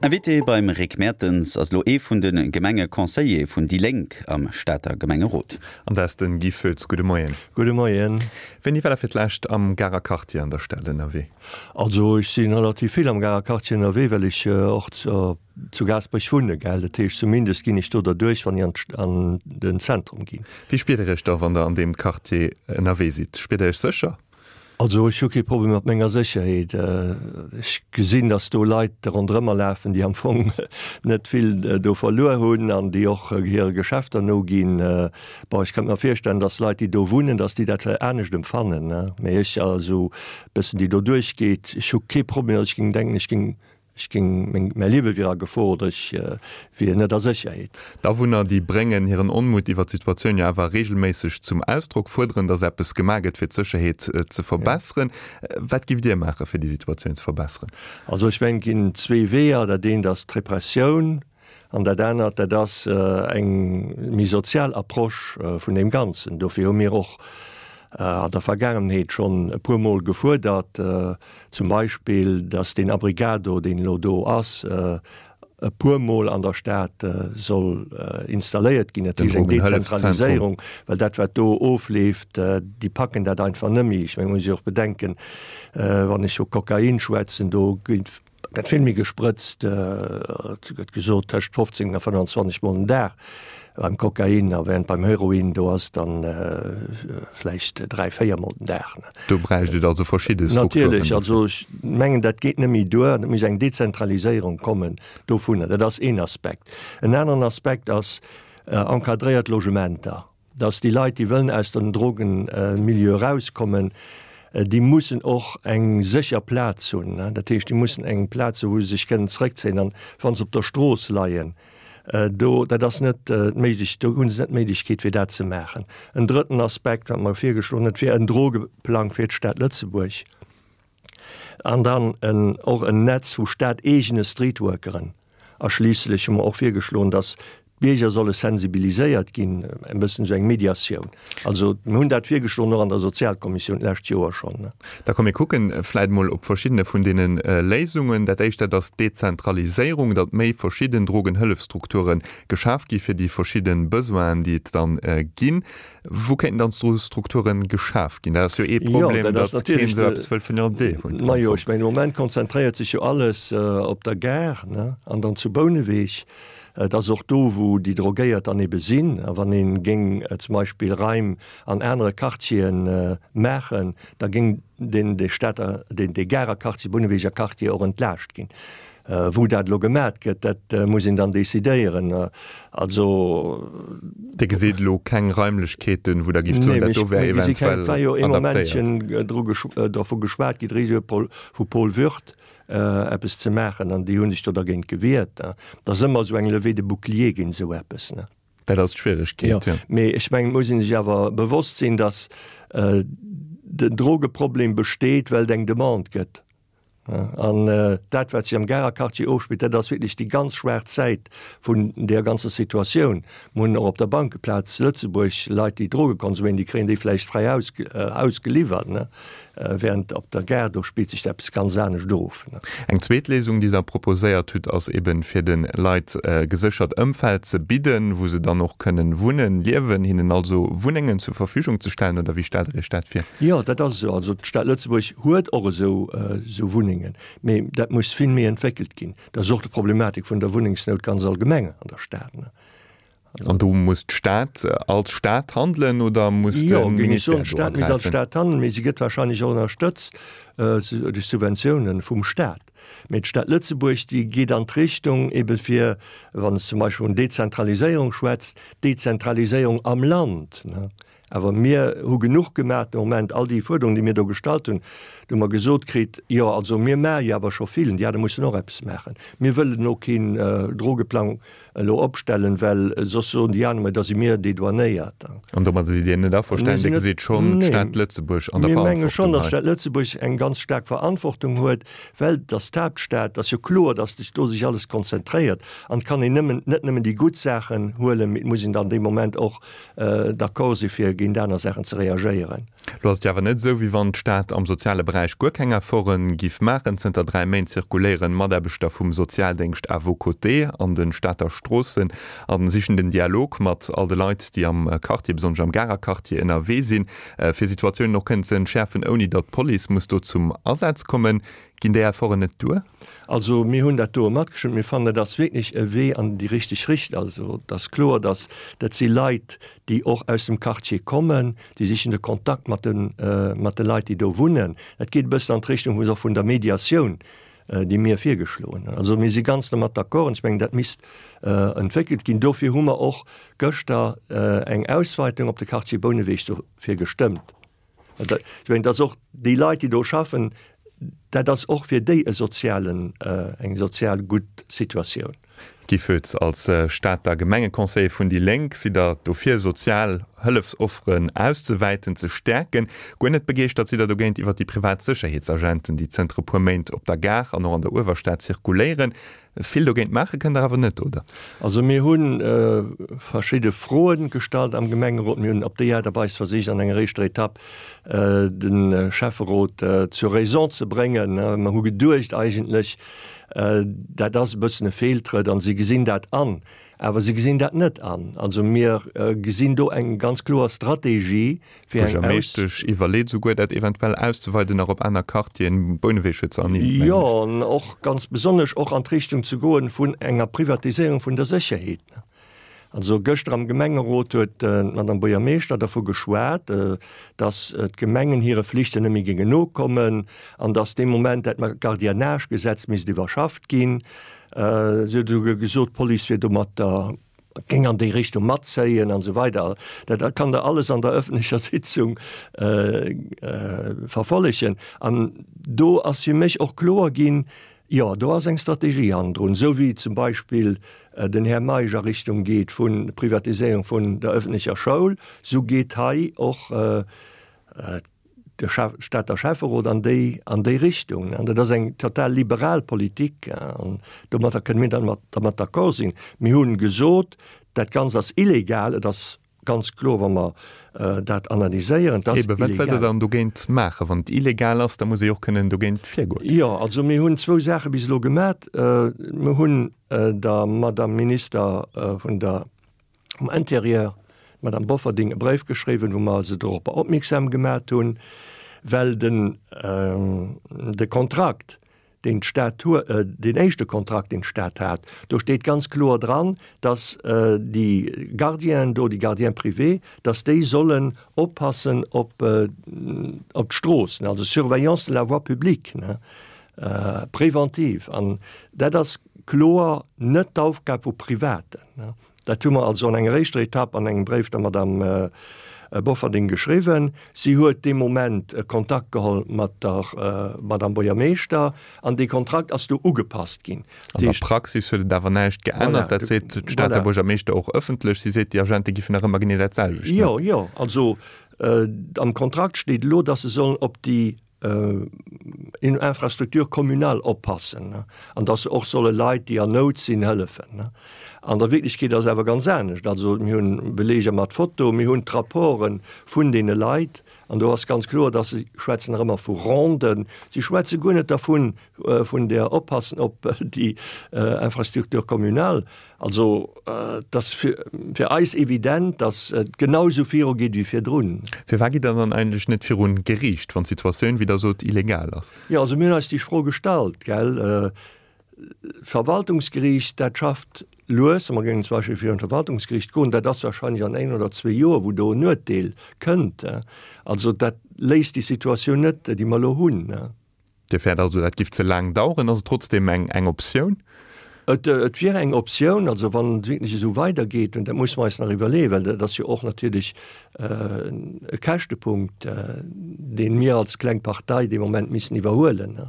Invité beim Rick Mertens ass elo ee vun de Gemengeconseiller vun déi Lénk am Stater Gemengerot. An dat ass den Guy Foetz. Gudde Moien. Gudde Moien. Wéini war der fir d'lescht am Garer Quartier an der Stad ënnerwee? Also ech si relativ vill am Garer Quartier ënnerwee, well ech och zu Gaasperech wunne, gell. Dat heescht, zumindest ginn ech do derduerch, wann ech an den Zentrum ginn. Wéi spiert Der Iech da, wann Der an deem Quartier ënnerwee sidd? Spiert Der Iech sécher? Also ech hu kee Problem mat menger Sécherheet. Ech gesinn, datt do Leit ronderëmmer lafen, déi am Fong net vill do verluer hunn an déi och hire Geschäfter noginn. Bon, ech kënnt mer virstellen, datt Leit, déi do wunnen, datt déi dat vläicht anescht empfannen. Mee ech, also e bëssen déi do duerchgeet, ech hu kee Problem, datt ech géing denken, ech géing Ech géing, meng, mäi Liewe wier a Gefor oder ech wier net a Sécherheet. D'Awunner, déi bréngen hiren Onmutt iwwer d'Situatioun jo awer reegelméisseg zum Ausdrock, fuerderen, datt eppes gemaach gëtt, fir d'Sécherheet ze verbesseren. Wat giff Dir maachen, fir déi Situatioun ze verbesseren? Also ech mengen, et ginn zwee Weeër. Dat eent ass d'Repressioun an dat anert, dat ass eng méi sozial Approche vun deem Ganzen. Dofir hu mir och an der Vergaangenheet schonn e puermol gefuerdert, Zum Beispill, dass deen Abrigado, deen elo do ass, e puermol an der Stad soll installéiert ginn. Dat heescht eng Dezentraliséierung, well dat, wat do ofleeft, déi packen dat einfach net méi. Ech mengen, et muss ee och bedenken, wann ech vu Kokain schwätzen, do gëtt vill méi gesprëtzt, et gëtt gesot tëscht 15 a 25 Mol den Dag beim Kokain, a während beim Heroin, do ass et dann vläicht 3, 4 Mol den Dag. Do bräicht et also verschidde Strukturen. Natierlech, also ech mengen, dat geet net méi duer. Et muss eng Dezentraliséierung kommen dovunner. Dat ass een Aspekt. En aneren Aspekt ass encadréiert Logementer, dass déi Leit, déi wëllen aus dem Drogenmilieu erauskommen, déi mussen och eng sécher Plaz hunn. Dat heescht, déi mussen eng Plaz hunn, wou se sech kënnen zrëckzéien. An wa se op der Strooss leien, Do, dat ass net méiglech, do hu se net d'Méiglechkeet fir dat ze maachen. En drëtten Aspekt, wat mer virgeschloen hunn, dat wier en Drogeplang fir d'Stad Lëtzebuerg an dann en, och en Netz vu stateegene Streetworkeren. A schliisslech hu mer och virgeschloen, dass d'Bierger solle sensibiliséiert ginn, e bëssen esou eng Mediatioun. Also mir hunn dat virgeschloen, och an der Sozialkommissioun d'lescht Joer schonn. Da komm mir kucken vläit mol op verschiddene vun deene Léisungen. Dat éischt, dat ass d'Dezentraliséierung, datt méi verschidden Drogenhëllefstrukture geschaf gi fir déi verschidde Besoinen, déi et dann ginn. Wou kéinten dann d'Strukture geschaf ginn? Dat ass jo ee Problem, datt keen esou eppes wëll vun der Idee hunn. Majo, ech mengen, de Moment konzentréiert sech jo alles op der Gare an dann zu Bouneweg. Et ass och do, wou déi Drogéiert dann ebe sinn. A wann ee géing zum Beispill Raim an anere Quartiere maachen, da géing deen dee Stater, deen dee Garer Quartier, Bunneweger Quartier och entlaascht ginn. Wou dat elo gemat gëtt, dat muss een dann decidéieren. Also. Dir gesitt elo keng Raimlechkeeten, wou Der gift soen, dat do wär eventuell adaptéiert? Et war jo ee Momentchen dru dervu geschwat gi, d'Régie vu Paul Würth, eppes ze maachen, an déi hu sech do dergéint gewiert. Et ass ëmmer esou eng Levée de bouclier géint esou eppes. Dat ass d'Schwieregkeet, jo. Mee ech mengen, et muss ee sech awer bewosst sinn, datt den Drogeproblem besteet, well et eng Demande gëtt. An dat, wat sech am Garer Quartier ofspillt, dat ass wierklech déi ganz schwaarz Säit vun där ganzer Situatioun. Mir hunn och op der Bankeplaz Lëtzebuerg Leit, déi Droge konsuméieren, déi kréien déi vläicht fräi ausgeliwwert. Während op der Gare, do spillt sech eppes ganz anescht of. Eng zweet Léisung, déi Der proposéiert hutt, ass eben, fir de Leit e geséchert Ëmfeld ze bidden, wou se dann och kënnen wunnen, liewen, hinnen also Wunnengen zur Verfügung ze stellen, oder wéi stellt Der Iech dat vir? Jo, dat ass esou. Also d'Stad Lëtzebuerg huet och esou Wunnengen, mee dat muss vill méi entwéckelt ginn. Dat ass och d'Problematik vun der Wunnengsnout ganz allgemeng an der Stad. An do muss d'Stad als Stad handelen oder muss de Ministère do agräifen? Jo, géing ech soen, d'Stad misst als Stad handelen, mee si gëtt wahrscheinlech och ënnerstëtzt duerch Subventiounen vum Staat. Mee d'Stad Lëtzebuerg, déi geet an d'Richtung ebe fir, wann s zum Beispill vun Dezentraliséierung schwätzt, Dezentraliséierung am Land. Awer mir hu genuch gemaach de Moment. All déi Fuerderungen, déi mir do gestallt hunn, do hu mer gesot kritt, jo also mir maache jo awer scho vill, an déi aner mussen och eppes maachen. Mir wëllen elo keen Drogeplang elo opstellen, well soss soen déi aner, mä da si mir dedouanéiert. An domadder sidd Dir net averstanen? Dir gesitt schonn d'Stad Lëtzebuerg an der Verantwortung hei? Mir menge schonn, datt d'Stad Lëtzebuerg eng ganz staark Verantwortung huet, well et ass d'Haaptstad. Et ass jo kloer, datt sech do sech alles konzentréiert. An et kann een nëmmen, net nëmmen déi gutt Saachen huelen, mee et muss een dann dee Moment och d'accord si fir géint aner Saachen ze reagéieren. Lo ass et jo awer net esou, wéi wann d'Stad am soziale Beräich guer keng Efforte giff maachen. Zënter 3 Méint zirkuléieren Mataarbechter vum Sozialdéngscht à vos côtés an de Stater Stroossen a sichen den Dialog mat all de Leit, déi am Quartier, besonnesch am Garer Quartier, ënnerwee sinn, fir Situatiounen och kënnen ze entschäerfen, ouni datt d'Police muss do zum Asaz kommen. Ginn déi Efforten net duer? Also mir hunn dat doe matgestëmmt. Mir fannen, dat ass wierklech e Wee an déi richteg Richtung. Also et ass kloer, datt dat si Leit, déi och aus dem Quartier kommen, déi sichen de Kontakt mat de mat de Leit, déi do wunnen. Dat geet e bëssen an d'Richtung och vun der Mediatioun, déi mir virgeschloen hunn. Also mir si ganz domat d'accord an ech mengen, dat misst entwéckelt ginn. Dofir hu mer och gëschter eng Ausweitung op de Quartier Bouneweg dofir gestëmmt. Ech mengen, dass och déi Leit, déi do schaffen, dat ass och fir déi e sozialen, eng sozial gutt Situatioun. Guy Foetz, Als Stater Gemengeconseiller vun déi Lénk sidd Der dofir, sozial Hëllefsofferen auszewäiten, ze stäerken. Guer net begeeschtert sidd Der dogéint iwwer déi privat Sécherheetsagenten, déi zënter e puer Méint op der Gare an och an der Uewerstad zirkuléieren. Vill dogéint maache kënnt Der awer net, oder? Also mir hu verschidde Froe gestallt am Gemengerot. Mir hunn op déi Aart a Weis versicht an enger éischter Etapp de Schäfferot zur Raison ze bréngen. Mer hu geduecht eigentlech, dat ass e bëssen e Feeltrëtt an si gesinn dat an. Awer si gesinn dat net an. Also mir gesinn do eng ganz kloer Strategie fir eng Aus. D'Buergermeeschtesch iwwerleet esouguer, dat eventuell auszeweiden nach op aner Quartieren. Bouneweg huet se ernimmt, mengen ech. Jo, an och ganz besonnesch och an d'Richtung ze goen vun enger Privatiséierung vun der Sécherheet. Also gëschter am Gemengerot huet d'Madame Buergermeeschter dervu geschwat, datt d'Gemengen hire Flichten net méi géingen nokommen an datt dee Moment dat Gardiennage-Gesetz misst iwwerschafft ginn. Si huet esouguer gesot, d'Police wier domatter géing an déi Richtung matzéien an esou weider. Dat kann Der alles an der öffentlecher Sitzung verfollegen. An do ass fir mech och kloer ginn, jo, do ass eng Strategie hannendrun, esou wéi zum Beispill den Här Meisch a Richtung geet vu Privatiséierung vun der öffentlecher Schoul, esou geet hei och de Stater Schäfferot an déi an déi Richtung. An dat ass eng total liberal Politik an domatter kënne mir dann dermat d'accord sinn. Mir hunn gesot, dat Ganzt ass illegal. Et ass ganz kloer, wa mer dat analyséieren, et ass illegal. Eben, wat wëllt Der dann dogéint maachen? Wann et illegal ass, da muss ee jo och kënnen dogéint virgoen. Jo, also mir hunn zwou Saache bis elo gemat. Mir hunn der Madame Minister vun der um Intérieur, d'Madame Bofferding, e Bréif geschriwwen, wou mer se doropper opmierksam gemat hunn, well den de Kontrakt, deen d'Stad hu, deen éischte Kontrakt, deen d'Stad hat, do steet ganz kloer dran, dass déi Gardienen do, déi Gardiens privés, dass déi sollen oppassen op op d'Stroossen, also Surveillance de la voie publique, ne, préventive. An dat ass kloer net d'Aufgab vu Privaten. Dat hu mer also an enger éischter Etapp an engem Bréif der Madame Bofferding geschriwwen. Si huet dee Moment Kontakt geholl mat der Madame Buergermeeschter an dee Kontrakt ass du ugepasst ginn. An der Praxis huet et awer näischt geännert. Dat seet d'Stater Buergermeeschter och ëffentlech. Si seet, déi Agente giffen nach ëmmer genee dat selwecht maachen. Jo, jo. Also am Kontrakt steet elo, datt se sollen op déi Infrastructure communale oppassen an dass se och solle Leit, déi an Nout sinn, hëllefen. An der Wierklechkeet ass et awer ganz anescht. Also mir hunn Beleeger mat Foto, mir hunn d'Rapporte vun deene Leit an do ass ganz kloer, dass se schwätzen nach ëmmer vu Ronden, si schwätze guer net dervun, vun der Oppassen op déi Infrastructure communale. Also, et ass fir eis evident, datt et genau esou virugeet wéi virdrun. Firwat gitt Der dann eigentlech net virun Geriicht, wann d'Situatioun, wéi Der sot, illegal ass? Jo, also mir hunn eis déi Fro gestallt, gell. D'Verwaltungsgeriicht, dat schafft lues. Mer géingen zum Beispill virun d'Verwaltungsgeriicht goen, dat ass wahrscheinlech an een oder zwee Joer, wou do en Uerteel kënnt. Also dat léist déi Situatioun net, déi mer elo hunn. Dir fäert also, dat giff ze laang daueren. Ass et trotzdeem eng eng Optioun? Et et wier eng Optioun, also wann et wierklech esou weidergeet, und dat musse mer eis nach iwwerleeën, well dat ass jo och natierlech e Käschtepunkt, dee mir als kleng Partei dee Moment missen iwwerhuelen.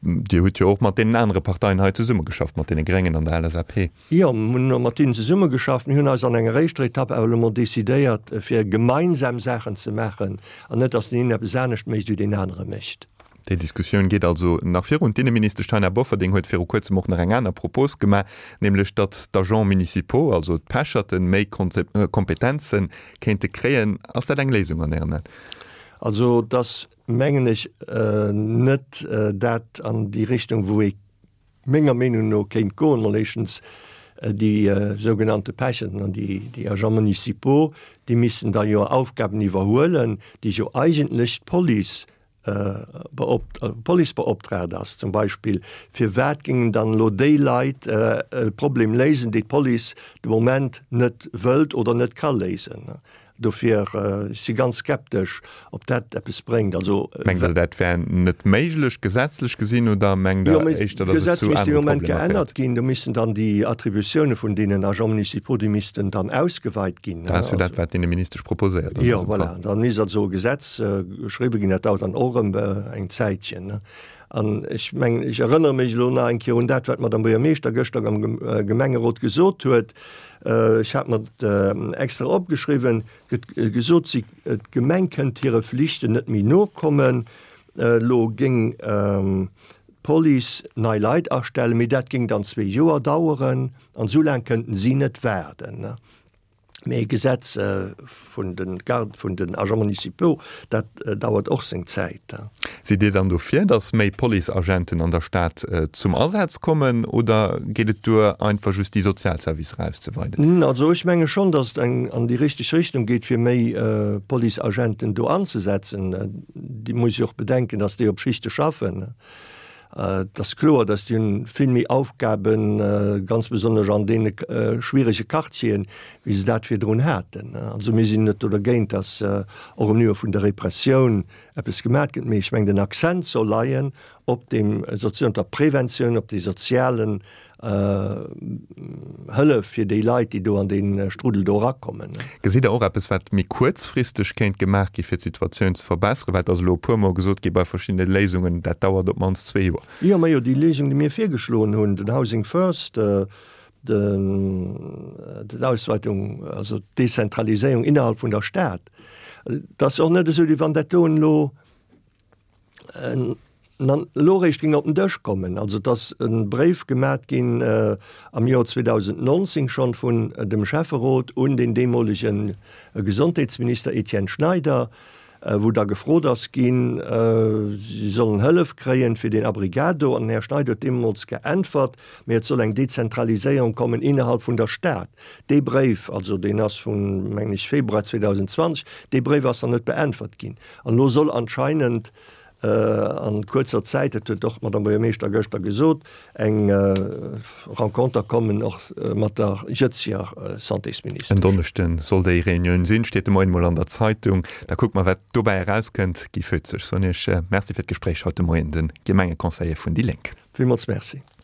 Dir hutt jo och mat deenen anere Parteien hei zesummegeschafft, mat deene Gréngen an der LSAP. Jo, mir hunn mat hinnen zesummegeschafft. Mir hunn eis an enger éischter Etapp awer elo mol decidéiert, fir gemeinsam Saachen ze maachen an net, dass deen een eppes anescht mécht, wéi deen anere mécht. Déi Diskussioun geet also nach virun. D'Inneministesch Taina Bofferding huet viru kuerzem och nach eng aner Propos gemaach, nämlech datt d'Agents municipaux, also d'Pecherten, méi Kompetenze kéinte kréien. Ass dat eng Léisung an Ären Aen? Also et ass, mengen ech, net dat an déi Richtung, wou ee menger Meenung no kéint goen. Mol éischtens déi sougenannte Pechenten an déi Agents municipaux, déi missten da jo Aufgaben iwwerhuelen, déi jo eigentlech d'Police Police beoptraagt ass. Zum Beispill, firwat géingen dann elo déi Leit e Problem léisen, déi d'Police de Moment net wëllt oder net ka léisen? Dofir, ech si ganz skeptesch, ob dat eppes bréngt. Also. Mengt Der, dat wär net méiglech, gesetzlech gesinn, oder mengt Der éischter, datt et zu anere Problemer féiert? D'Gesetz misst dee Moment geännert ginn. Do missten dann déi Attributioune vun deenen Agents municipaux, déi missten dann ausgeweit ginn. Dat ass jo dat, wat d'Inneministesch proposéiert an dësem Fall. Jo, voilà. Da misst also e Gesetz geschriwwe ginn. Dat dauert dann och erëm eng Zäitchen. An ech mengen, ech erënnere mech elo nach eng Kéier un dat, wat d'Madame Buergermeeschter gëschter am Gemengerot gesot huet. Ech hat mer et extra opgeschriwwen, gëtt gesot, si, d'Gemeng kënnt hire Flichten net méi nokommen. Elo géing d'Police nei Leit astellen, mee dat géing dann zwee Joer daueren an esou laang kënnten si net waarden. Mee e Gesetz vun de Garde, vun den Agents municipaux, dat dauert och seng Zäit. Sidd Dir dann dofir, datt méi Policeagenten an der Stad zum Asaz kommen oder geet et duer, einfach just déi Sozialservicer auszeweiden? Also ech menge schonn, datt et eng an déi richteg Richtung geet, fir méi Policeagenten do anzesetzen. Dir musst jo och bedenken, datt déi op Schichte schaffen. Et ass kloer, datt déi hunn vill méi Aufgaben, ganz besonnesch an deene schwierege Quartieren, wéi se dat virdrun haten. Also mir sinn net do dergéint, datt och um Niveau vun der Repressioun eppes gemat gëtt, mee ech mengen den Accent soll leien op dem sozialen, op der Preventioun, op déi sozialen Hëllef fir déi Leit, déi do an dee Strudel do erakommen. Gesitt Der och eppes, wat méi kuerzfristeg kéint gemaach gi fir d'Situatioun ze verbesseren? Well et ass elo e puermol gesot gi bei verschiddene Léisungen, dat dauert op d'mannst zwee Joer. Jo, majo, déi Léisung, déi mir virgeschloen hunn, den Housing First, d'Ausweitung, also d'Dezentraliséierung innerhalb vun der Stad, et ass och net esou, wéi wann dat doen elo elo eréischt géing op den Dësch kommen. Also et ass e Bréif gemat ginn am Joer 2019 schonn vun dem Schäfferot un den deemolege Gesondheetsminister Etienne Schneider, wou da gefrot ass ginn, si sollen Hëllef kréien fir deen Abrigado. An den Här Schneider huet deemools geäntwert, mee et soll eng Dezentraliséierung kommen innerhalb vun der Stad. Dee Bréif, also deen ass vun, mengen ech, Februar 2020, dee Bréif ass nach net beäntwert ginn. An elo soll anscheinend an kuerzer Zäit, dat huet och d'Madame Buergermeeschter gëschter gesot, eng Renconter kommen, och mat der jëtzeger Santésministesch. En Donneschden soll déi Reunioun sinn, steet de Moien mol an der Zeitung. Da kucke mer, wat dobäi erauskënnt. Guy Foetz, ech soen Iech Merci fir d'Gespréich haut de Moien, de Gemengeconseiller vun déi Lénk. Villmools Merci.